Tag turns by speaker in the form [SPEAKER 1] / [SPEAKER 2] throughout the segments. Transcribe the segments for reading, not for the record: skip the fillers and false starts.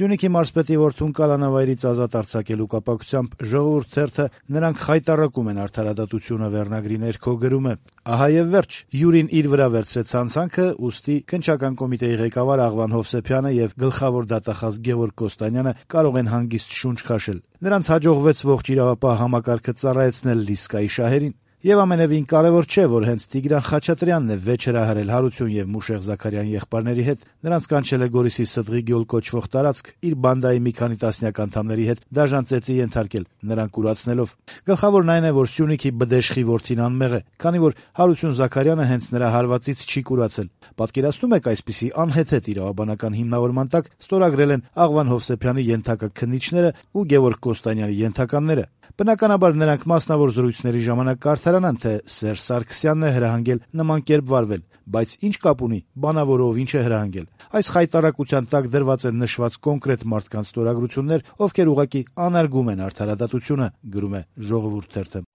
[SPEAKER 1] Սյունիքի մարզպետի որդուն կալանավայրից ազատ արձակելու կապակցությամբ «Ժողովուրդ» թերթը «Նրանք խայտառակում են արդարադատությունը» վերնագրի ներքո գրում է. «Ահա եւ վերջ, Յուրին իր վրա վերցրեց հանցանքը, ուստի քննչական կոմիտեի ղեկավար Աղվան Հովսեփյանը եւ գլխավոր դատախազ Գևորգ Կոստանյանը կարող են հանգիստ շունչ քաշել։ Նրանց հաջողվեց ողջ իրավապահ համակարգը ծառայեցնել Լիսկայի շահերին։ Եվ ամենևին կարևոր չէ, որ հենց Տիգրան Խաչատրյանն է վեճ հրահրել Հարություն եւ Մուշեղ Զաքարյան եղբայրների հետ, նրանց կանչել է Գորիսի Սդղի գյուլ կոչվող տարածք իր բանդայի մի քանի տասնյակ անդամների հետ դաժան ծեծի ենթարկել, նրան կուրացնելով։ Գլխավորն այն է, որ Սյունիքի բդեշխի որդին անմեղ է, քանի որ Հարություն Զաքարյանը հենց նրա հարվածից չի կուրացել։ Պատկերացնում եք այսպիսի անհեթեթ իրավաբանական հիմնավորման տակ ստորագրել են Աղվան Հովսեփյանի ենթակա քննիչները ու Գևորգ Կոստանյանի ենթականները։ Բնականաբար նրանք մասնավոր զրույցների ժամանակ կարդարանան, թե Սերժ Սարգսյանն է հրահանգել նման կերպ վարվել, բայց ինչ կապ ունի բանավորով ինչ է հրահանգել։ Այս խայտառակության տակ դրված են նշված կոնկրետ մարդկանց ստորագրություններ, ովքեր ուղղակի անարգում են արդարադատությունը», գրում է «Ժողովուրդ» թերթը։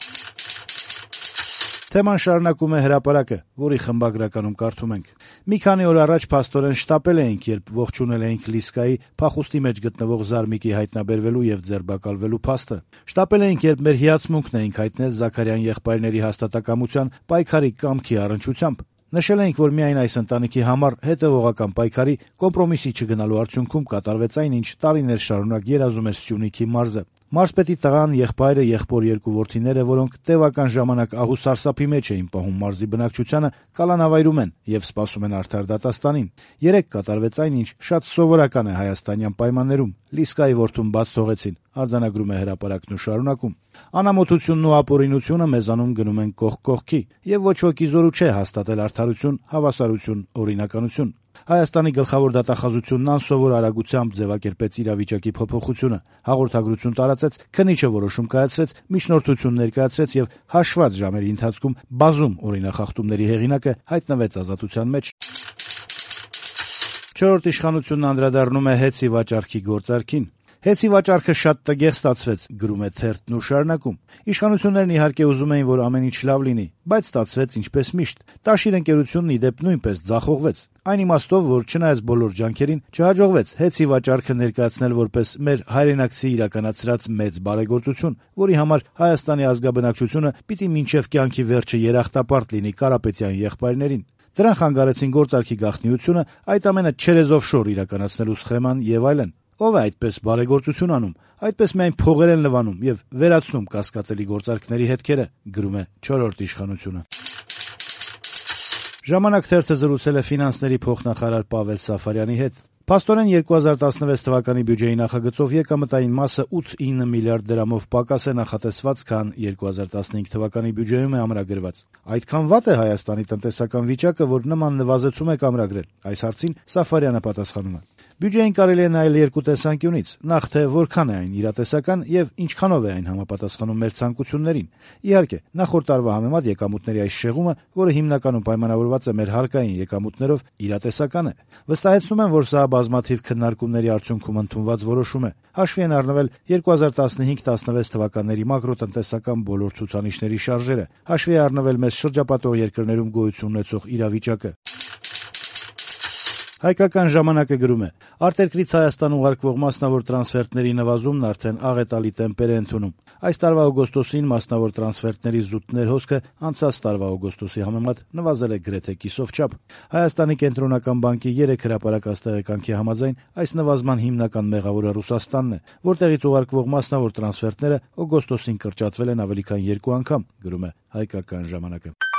[SPEAKER 1] Թեման շարունակում է Հրապարակը, որի խմբագրականում կարդում ենք. «Մի քանի օր առաջ փաստորեն շտապել էինք, երբ ողջունել էինք Լիսկայի փախուստի մեջ գտնվող Զարմիկի հայտնաբերվելու եւ ձերբակալվելու փաստը։ Շտապել էինք, երբ մեր հիացմունքն էինք հայտնել Զաքարյան եղբայրների հաստատակամության պայքարի կամքի առնչությամբ։ Նշել էինք, որ միայն այս ընտանիքի համար հետևողական պայքարի կոմպրոմիսի չգնալու արդյունքում կատարվեց այն, ինչ տարիներ շարունակ երազում էր Սյունիքի մարզը։ Մարզպետի տղան, եղբայրը, եղբոր երկու որդիները, որոնք տևական ժամանակ ահու սարսափի մեջ էին պահում մարզի բնակչությանը, կալանավայրում են եւ սպասում են արդար դատաստանին։ Երեկ կատարվեց այն, ինչ շատ սովորական է հայաստանյան պայմաններում։ Լիսկայի որդուն բաց թողեցին», արձանագրում է Հրապարակն ու շարունակում. «Անամոթությունն ու ապօրինությունը մեզանում գնում են կողք կողքի, եւ ոչ ոքի զորու չէ հաստատել արդարություն, հավասարություն, օրինականություն։ Հայաստանի գլխավոր դատախազությունն անսովոր արագությամբ ձևակերպեց իրավիճակի փոփոխությունը, հաղորդագրություն տարածեց, քննիչը որոշում կայացրեց, միջնորդություն ներկայացրեց եւ հաշված ժամերի ընթացքում բազում օրինախախտումների հեղինակը հայտնվեց ազատության մեջ»։ «Չորրորդ իշխանությունն» անդրադառնում է հեծի վաճառքի գործարքին. «Հեծի վաճառքը շատ տգեղ ստացվեց», գրում է թերթն ու շարունակում. «Իշխանություններն իհարկե ուզում էին, որ ամեն ինչ լավ լինի, բայց ստացվեց ինչպես միշտ։ Տաշիր ընկերությունն ի դեպ նույնպես ձախողվեց։ Այն իմաստով, որ չնայած բոլոր ջանքերին չհաջողվեց հեծի վաճառքը ներկայացնել որպես մեր հայրենակցի իրականացրած մեծ բարեգործություն, որի համար Հայաստանի ազգաբնակչությունը պիտի մինչև կյանքի վերջը երախտապարտ լինի Կարապետյան եղբայրներին։ Դրան խանգարեցին գործարքի գաղտնիությունը, այդ ամենը չերեզով շոր իրականացնելու սխեման եւ այլն։ Ով է այդպես բարեգործություն անում, այդպես միայն փողեր են լվանում եւ վերացնում կասկածելի գործարքների հետքերը», գրում է «Չորրորդ իշխանությունը»։ «Ժամանակ» թերթը զրուցել է ֆինանսների փոխնախարար Պավել Սաֆարյանի հետ։ Փաստորեն 2016 թվականի բյուջեի նախագծով եկամտային մասը 8-9 միլիարդ դրամով պակաս է նախատեսված, քան 2015 թվականի բյուջեում է ամրագրված։ Այդքան վատ է Հայաստանի տնտեսական վիճակը, որ նման նվազեցում եք ամրագրել։ Այս հարցին Սաֆարյանը պատասխանում է. «Բյուջեին կարելի է նայել երկու տեսանկյունից. նախ թե որքան է այն իրատեսական եւ ինչքանով է այն համապատասխանում մեր ցանկություններին։ Իհարկե, նախորդ տարվա համեմատ եկամուտների այս շեղումը, որը հիմնականում պայմանավորված է մեր հարկային եկամուտներով, իրատեսական է։ Վստահեցնում եմ, որ սա բազմաթիվ քննարկումների արդյունքում ընդունված որոշում է։ Հաշվի են առնվել 2015-16 թվականների մակրոտնտեսական բոլոր ցուցանիշների շարժերը, հաշվի է առնվել մեզ շրջապատող երկրներում գոյություն ունեցող իրավիճակը»։ Հայկական ժամանակը գրում է. «Արտերկրից Հայաստան ուղարկվող մասնավոր տրանսֆերտների նվազումն արդեն աղետալի տեմպեր է ընդունում։ Այս տարվա օգոստոսին մասնավոր տրանսֆերտների զուտ ներհոսքը անցած տարվա օգոստոսի համեմատ նվազել է գրեթե կիսով չափ։ Հայաստանի կենտրոնական բանկի 3 հրապարակած տեղեկանքի համաձայն այս նվազման հիմնական մեղավորը Ռուսաստանն է, որտեղից ուղարկվող մասնավոր տրանսֆերտները օգոստոսին կրճատվել են ավելի քան 2 անգամ», գրում է Հայկական ժամանակը։